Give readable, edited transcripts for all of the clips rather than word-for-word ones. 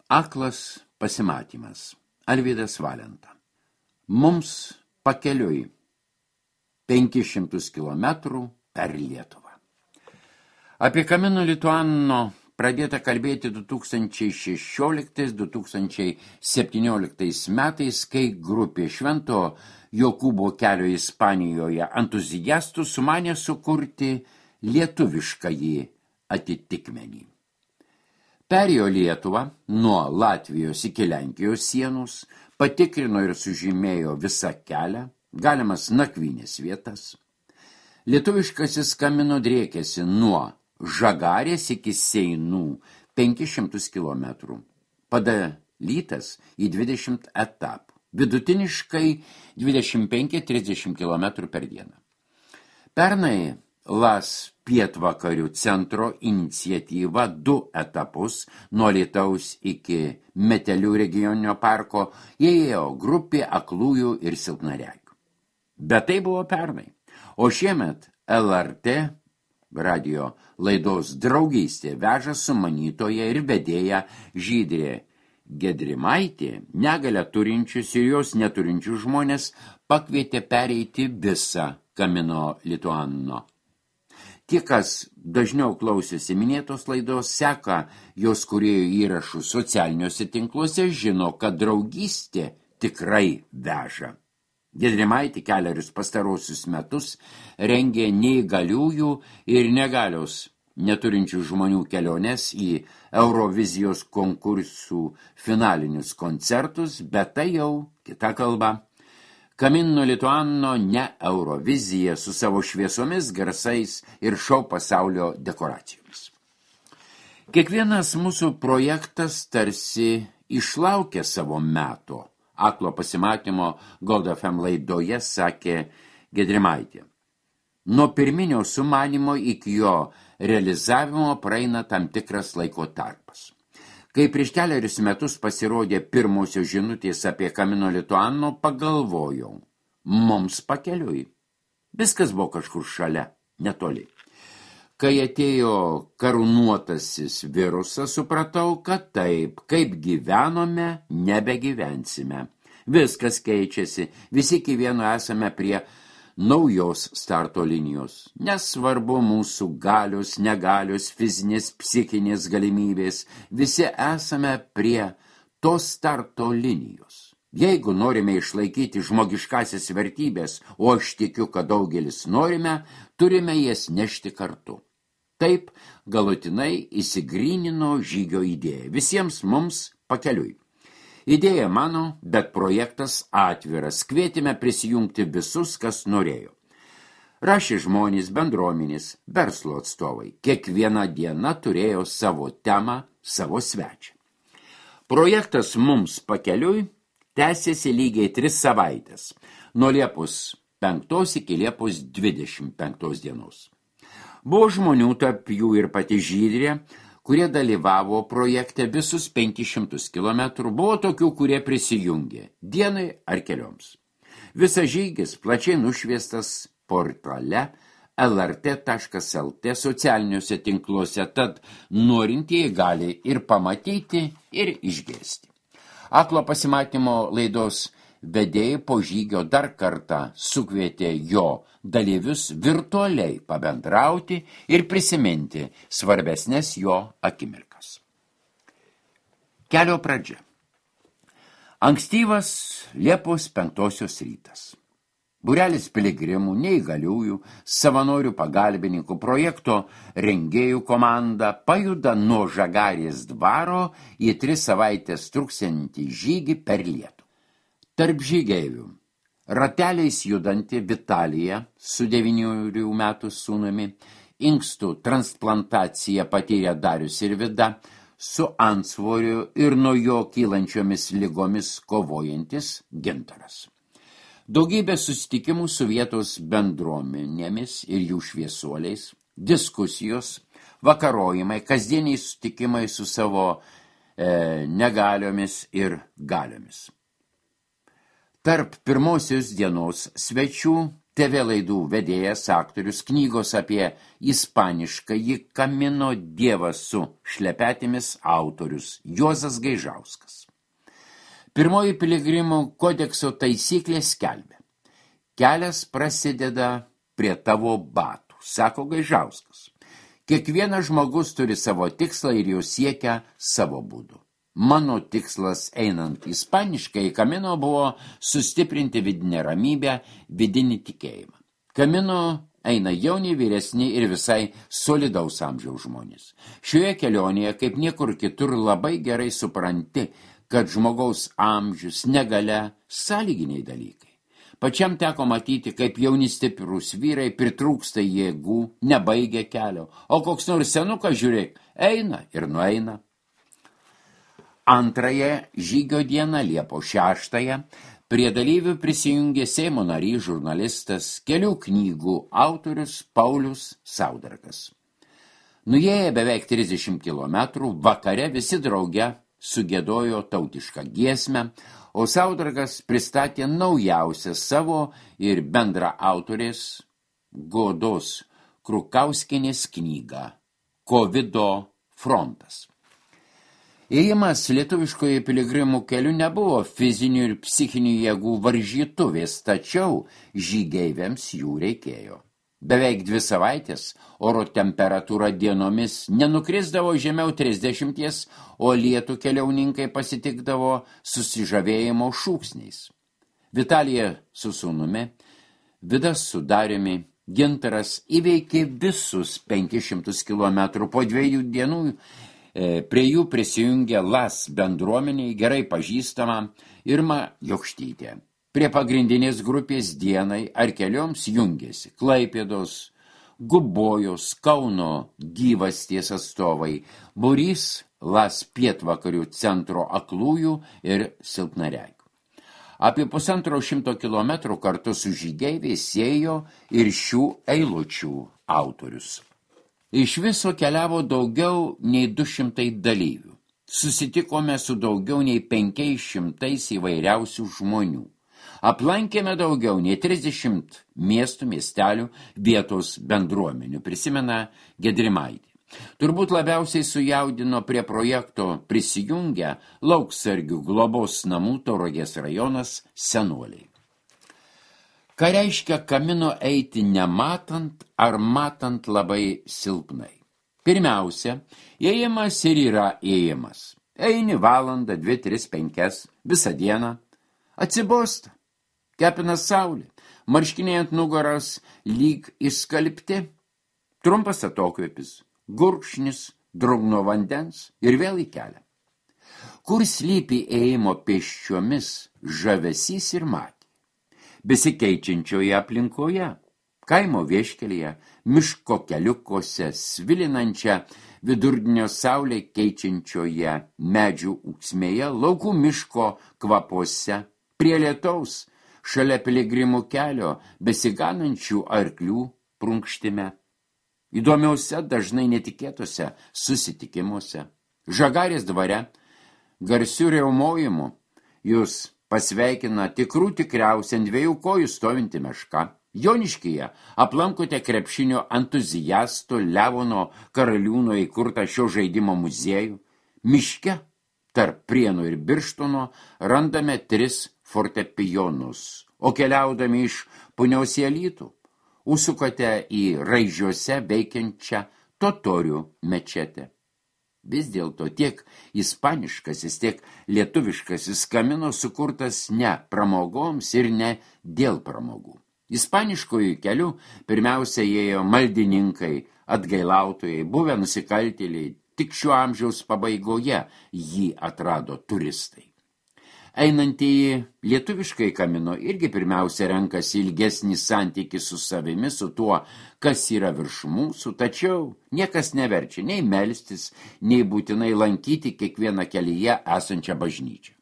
Aklas pasimatymas. Alvydas Valenta. Mums pakeliui 500 kilometrų per Lietuvą. Apie Camino Lituano pradėta kalbėti 2016-2017 metais, kai grupė Švento Jokūbo kelio Ispanijoje entuziastų sumanė sukurti lietuviškąjį atitikmenį. Perėjo Lietuvą nuo Latvijos iki Lenkijos sienos, patikrino ir sužymėjo visą kelią, galimas nakvynės vietas. Lietuviškasis Camino driekėsi nuo Žagarės iki Seinų 500 kilometrų, padalytas į 20 etapų, vidutiniškai 25-30 kilometrų per dieną. Pernai LAS pietvakarių centro iniciatyva 2 etapus nuo Alytaus iki Metelių regioninio parko įėjo grupė aklųjų ir silpnaregių. Bet tai buvo pernai, o šiemet LRT radio laidos Draugystė veža sumanytoja ir vedėja Žydrė Gedrimaitė negalią turinčius ir jos neturinčius žmonės pakvietė pereiti visą Camino Lituano. Tie, kas dažniau klausėsi minėtos laidos, seka jos kūrėjų įrašų socialiniuose tinkluose, žino, kad draugystė tikrai veža. Gedrimaitė kelerius pastarosius metus rengė neįgaliųjų ir negalios neturinčių žmonių keliones į Eurovizijos konkursų finalinius koncertus, bet tai jau kita kalba. Camino Lituano ne Eurovizija su savo šviesomis, garsais ir šou pasaulio dekoracijomis. Kiekvienas mūsų projektas tarsi išlaukė savo meto. Aklo pasimatymo Gold FM laidoje sakė Gedrimaitė. Nuo pirminio sumanymo iki jo realizavimo praeina tam tikras laiko tarpas. Kai prieš kelerius metus pasirodė pirmosios žinutės apie Camino Lituano, pagalvojau, mums pakeliui. Viskas buvo kažkur šalia, netoli. Kai atėjo karūnuotasis virusas, supratau, kad taip, kaip gyvenome, nebegyvensime. Viskas keičiasi, visi iki vieno esame prie naujos starto linijos. Nesvarbu mūsų galios, negalios, fizinės, psichinės galimybės, visi esame prie tos starto linijos. Jeigu norime išlaikyti žmogiškasias vertybės, o aš tikiu, kad daugelis norime, turime jas nešti kartu. Taip galutinai įsigrynino žygio idėja. Visiems mums pakeliui. Idėja mano, bet projektas atviras. Kvietėme prisijungti visus, kas norėjo. Rašė žmonės, bendruomenės, verslo atstovai. Kiekviena diena turėjo savo temą, savo svečią. Projektas mums pakeliui tęsėsi lygiai 3 savaitės. Nuo Liepos 5 iki Liepos 25 dienos. Buvo žmonių, tarp jų ir pati Žydrė, kurie dalyvavo projekte visus 500 kilometrų, buvo tokių, kurie prisijungė dienai ar kelioms. Visas žygis plačiai nušviestas portale lrt.lt socialiniuose tinkluose, tad norintieji gali ir pamatyti, ir išgirsti. Aklo pasimatymo laidos vedėjai po žygio dar kartą sukvietė jo dalyvius virtualiai pabendrauti ir prisiminti svarbesnės jo akimirkas. Kelio pradžia. Ankstyvas Liepos 5 rytas. Būrelis piligrimų, neįgaliųjų, savanorių pagalbininkų, projekto rengėjų komanda pajuda nuo Žagarės dvaro į 3 savaitės truksiantį žygį per Lietuvą. Tarp žygeivių rateliais judanti Vitalija su 9 metų sūnumi, inkstų transplantaciją patyrė Darius ir Vida, su antsvoriu ir nuo jo kylančiomis ligomis kovojantis Gintaras. Daugybė susitikimų su vietos bendruomenėmis ir jų šviesuoliais, diskusijos, vakarojimai, kasdieniai susitikimai su savo negaliomis ir galiomis. Tarp pirmosios dienos svečių TV laidų vedėjas, aktorius, knygos apie ispaniškąjį Kamino dievą su šlepetėmis autorius Juozas Gaižauskas. Pirmoji piligrimų kodekso taisyklė skelbia: kelias prasideda prie tavo batų, sako Gaižauskas. Kiekvienas žmogus turi savo tikslą ir jo siekia savo būdu. Mano tikslas einant ispaniškai Kamino buvo sustiprinti vidinę ramybę, vidinį tikėjimą. Kamino eina jauni, vyresni ir visai solidaus amžiaus žmonės. Šioje kelionėje, kaip niekur kitur, labai gerai supranti, kad žmogaus amžius, negalia, sąlyginiai dalykai. Pačiam teko matyti, kaip jauni stiprūs vyrai pritrūksta jėgų, nebaigia kelio, o koks nors senukas, žiūrėk, eina ir nueina. Antrąją žygio dieną, Liepos 6, prie dalyvių prisijungė Seimo narys, žurnalistas, kelių knygų autorius Paulius Saudargas. Nuėję beveik 30 kilometrų, vakare visi drauge sugiedojo tautišką giesmę, o Saudargas pristatė naujausią savo ir bendra autorės Godos Krukauskienės knygą Kovido frontas. Ėjimas lietuviškoje piligrimų keliu nebuvo fizinių ir psichinių jėgų varžytuvės, tačiau žygeiviams jų reikėjo. Beveik 2 savaitės oro temperatūra dienomis nenukrisdavo žemiau 30, o lietų keliauninkai pasitikdavo susižavėjimo šūksniais. Vitalija su sūnumi, Vidas su Dariumi, Gintaras įveikė visus 500 kilometrų. Po 2 dienų prie jų prisijungė LAS bendruomeniai gerai pažįstama Irma Jokštytė. Prie pagrindinės grupės dienai ar kelioms jungėsi Klaipėdos, Gubojos, Kauno gyvasties atstovai, būrys LAS pietvakarių centro aklųjų ir silpnaregių. Apie 150 kilometrų kartu su žygeiviais ėjo ir šių eilučių autorius. Iš viso keliavo daugiau nei 200 dalyvių. Susitikome su daugiau nei 500 įvairiausių žmonių. Aplankėme daugiau nei 30 miestų, miestelių, vietos bendruomenių, prisimena Gedrimaitė. Turbūt labiausiai sujaudino prie projekto prisijungę Lauksargių globos namų Tauragės rajonas senoliai. Ką reiškia Kamino eiti nematant ar matant labai silpnai? Pirmiausia, ėjimas ir yra ėjimas. Eini valandą, 2, 3, 5, visą dieną. Atsibosta, kepina saulė, marškiniai ant nugaros lyg išskalbti. Trumpas atokvėpis, gurkšnis drungno vandens ir vėl į kelią. Kur slypi ėjimo pėsčiomis žavesys ir matė? Besikeičiančioje aplinkoje, kaimo vieškelyje, miško keliukose, svilinančią vidurdienio saulė keičiančioje medžių ūksmėje, laukų miško kvapuose, prie lietaus, šalia piligrimų kelio, besiganančių arklių prunkštime, įdomiausia, dažnai netikėtose susitikimuose, Žagarės dvare, garsių riaumojimų, jūs pasveikina tikriausia ant 2 kojų stovinti meška. Joniškyje aplankote krepšinio entuziasto Levono Karaliūno įkurtą šio žaidimo muziejų. Miške tarp Prienų ir Birštono randame 3 fortepijonus, o keliaudami iš Punios į Alytų užsukate į Raižiuose veikiančią totorių mečetę. Vis dėlto tiek ispaniškasis, tiek lietuviškasis Kamino sukurtas ne pramogoms ir ne dėl pramogų. Ispaniškojų kelių pirmiausia ėjo maldininkai, atgailautojai, buvę nusikaltėliai, tik šio amžiaus pabaigoje jį atrado turistai. Einantieji lietuviškai Kamino irgi pirmiausia renkasi ilgesnį santykį su savimi, su tuo, kas yra virš mūsų, tačiau niekas neverčia nei melstis, nei būtinai lankyti kiekvieną kelyje esančią bažnyčią.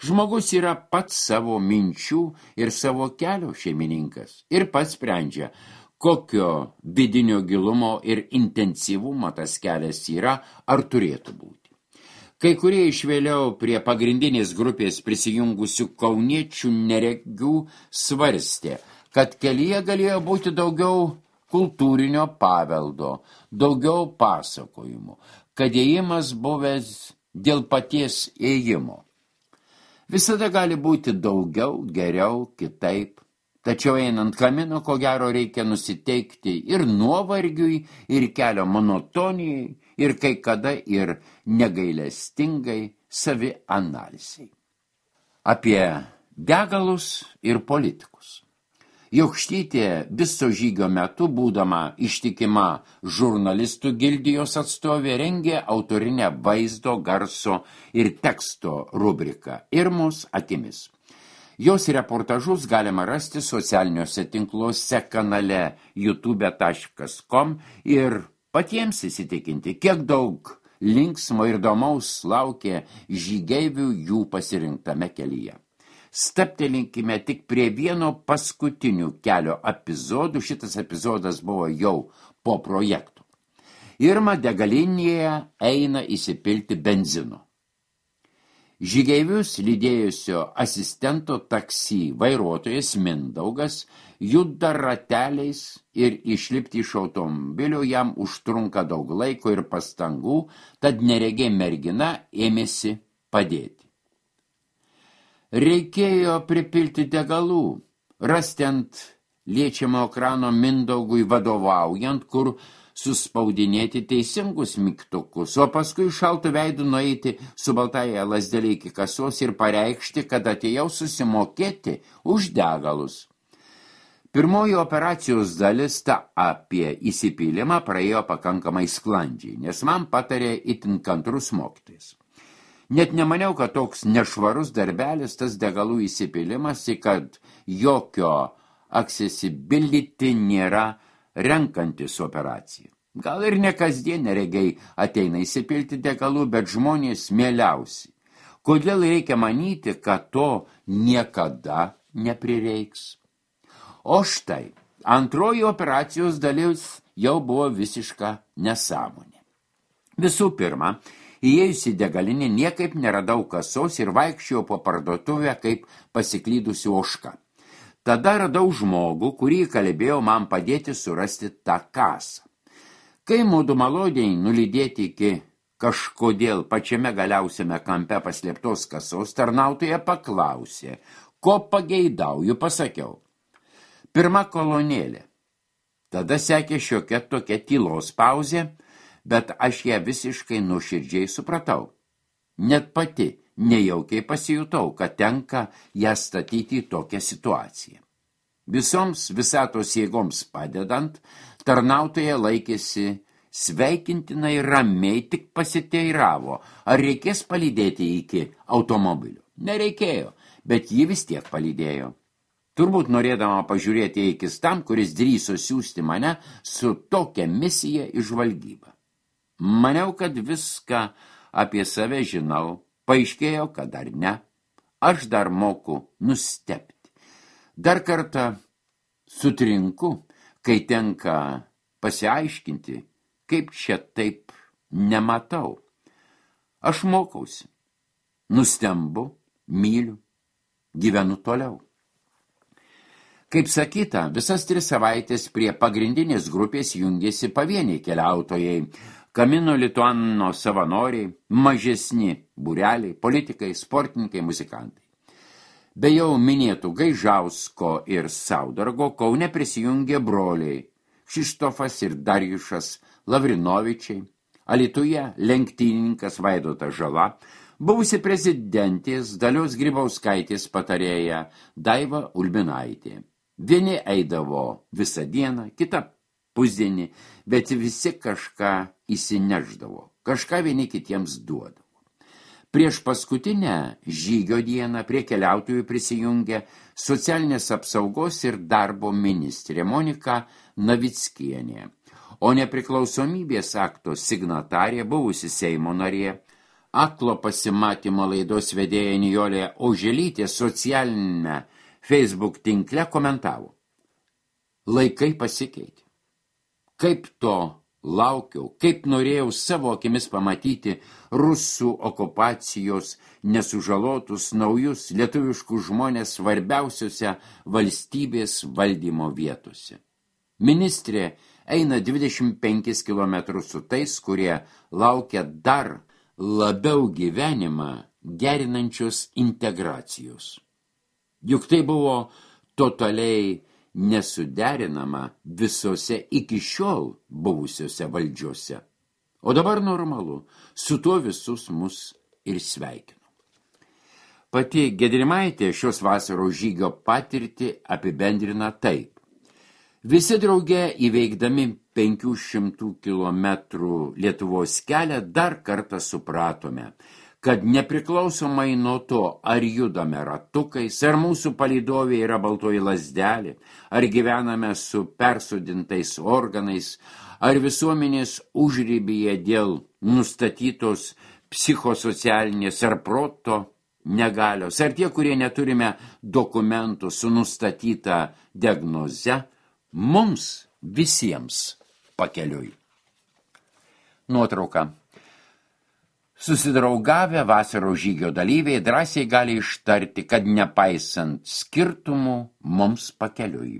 Žmogus yra pats savo minčių ir savo kelio šeimininkas ir pats sprendžia, kokio vidinio gilumo ir intensyvumo tas kelias yra ar turėtų būti. Kai kurie iš vėliau prie pagrindinės grupės prisijungusių kauniečių neregių svarstė, kad kelyje galėjo būti daugiau kultūrinio paveldo, daugiau pasakojimų, kad ėjimas buvęs dėl paties ėjimo. Visada gali būti daugiau, geriau, kitaip. Tačiau einant kamino, ko gero reikia nusiteikti ir nuovargiui, ir kelio monotonijai, ir kai kada ir negailestingai savianalizei. Apie degalus ir politikus. Jokštytė viso žygio metu, būdama ištikima žurnalistų gildijos atstovė, rengė autorinę vaizdo, garso ir teksto rubriką Irmos akimis. Jos reportažus galima rasti socialiniuose tinkluose kanale youtube.com ir patiems įsitikinti, kiek daug linksmo ir įdomaus laukia žygeivių jų pasirinktame kelyje. Staptelinkime tik prie vieno paskutinių kelio epizodų. Šitas epizodas buvo jau po projektų. Irma degalinėje eina įsipilti benzino. Žygeivius lydėjusio asistento taksi vairuotojas Mindaugas juda rateliais ir išlipti iš automobilio jam užtrunka daug laiko ir pastangų, tad neregė mergina ėmėsi padėti. Reikėjo pripilti degalų, rasti ant liečiamo ekrano Mindaugui vadovaujant, kur suspaudinėti teisingus mygtukus, o paskui šaltų veidų nueiti su baltąja lazdelė iki kasos ir pareikšti, kad atėjau susimokėti už degalus. Pirmoji operacijos dalis, ta apie įsipylimą, praėjo pakankamai sklandžiai, nes man patarė itin kantrus mokytojas. Net nemaniau, kad toks nešvarus darbelis, tas degalų įsipylimas, kad jokio accessibility nėra renkantis operacija. Gal ir ne kasdien neregiai ateina įsipilti degalų, bet žmonės mieliausi. Kodėl reikia manyti, kad to niekada neprireiks? O štai, antroji operacijos dalis jau buvo visiška nesąmonė. Visų pirma, įėjusi degalinį niekaip neradau kasos ir vaikščiau po parduotuvę kaip pasiklydusi ožka. Tada radau žmogų, kurį kalbėjau man padėti surasti tą kasą. Kai mudu maloniai nulydėti iki kažkodėl pačiame galiausiame kampe paslėptos kasos, tarnautoja paklausė, ko pageidauju, pasakiau. Pirma kolonėlė. Tada sekė šiokia tokia tylos pauzė, bet aš ją visiškai nuoširdžiai supratau. Net pati nejaukiai pasijutau, kad tenka ją statyti į tokią situaciją. Visoms visatos jėgoms padedant, tarnautoja laikėsi sveikintinai ramiai, tik pasiteiravo, ar reikės palydėti iki automobilio. Nereikėjo, bet ji vis tiek palydėjo. Turbūt norėdama pažiūrėti eikis tam, kuris drįso siųsti mane su tokia misija į žvalgybą. Maniau, kad viską apie save žinau, paaiškėjo, kad dar ne, aš dar moku nustebti. Dar kartą sutrinku, kai tenka pasiaiškinti, kaip čia taip nematau. Aš mokausi, nustembu, myliu, gyvenu toliau. Kaip sakyta, visas 3 savaitės prie pagrindinės grupės jungėsi pavieniai keliautojai, Kamino Lituano savanoriai, mažesni būreliai, politikai, sportininkai, muzikantai. Be jau minėtų Gaižausko ir Saudargo Kaune prisijungė broliai Kšištofas ir Darjušas Lavrinovičiai, Alytuje lenktynininkas Vaidotas Žala, buvusi prezidentės Dalios Grybauskaitės patarėja Daiva Ulbinaitė. Vieni eidavo visą dieną, kitą pusdienį, bet visi kažką įsineždavo, kažką vieni kitiems duodavo. Prieš paskutinę žygio dieną prie keliautojų prisijungė socialinės apsaugos ir darbo ministrė Monika Navickienė, o nepriklausomybės akto signatarė buvusi Seimo narė, aklo pasimatymo laidos vedėja Nijolė Oželytė socialinėme Facebook tinkle komentavo. Laikai pasikeitė. Kaip to laukiau, kaip norėjau savo akimis pamatyti rusų okupacijos nesužalotus naujus lietuviškus žmonės svarbiausiose valstybės valdymo vietose. Ministrė eina 25 kilometrus su tais, kurie laukia dar labiau gyvenimą gerinančios integracijos. Juk tai buvo totaliai nesuderinama visose iki šiol buvusiose valdžiose. O dabar normalu, su tuo visus mus ir sveikinu. Pati Gedrimaitė šios vasaros žygio patirtį apibendrina taip. Visi drauge įveikdami 500 kilometrų Lietuvos kelią dar kartą supratome, kad nepriklausomai nuo to, ar judame ratukais, ar mūsų palydovė yra baltoji lazdelė, ar gyvename su persodintais organais, ar visuomenės užribyje dėl nustatytos psichosocialinės ar proto negalios, ar tie, kurie neturime dokumentų su nustatyta diagnoze, mums visiems pakeliui. Nuotrauka. Susidraugavę vasaros žygio dalyviai drąsiai gali ištarti, kad nepaisant skirtumų mums pakeliui.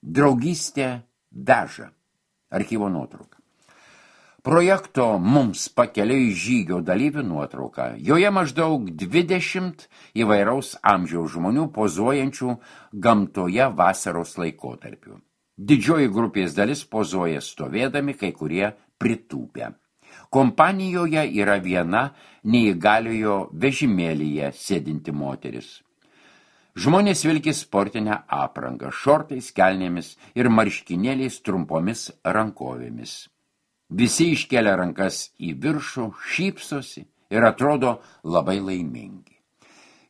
Draugystė veža. Archyvo nuotrauka. Projekto mums pakeliui žygio dalyvių nuotrauka. Joje maždaug 20 įvairaus amžiaus žmonių pozuojančių gamtoje vasaros laikotarpiu. Didžioji grupės dalis pozuoja stovėdami, kai kurie pritūpę. Kompanijoje yra viena neįgaliojo vežimėlyje sėdinti moteris. Žmonės vilki sportinę aprangą, šortais, kelnėmis ir marškinėliais trumpomis rankovėmis. Visi iškelia rankas į viršų, šypsosi ir atrodo labai laimingi.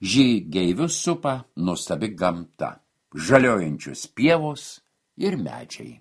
Žygeivius supa nuostabi gamta, žaliojančios pievos ir medžiai.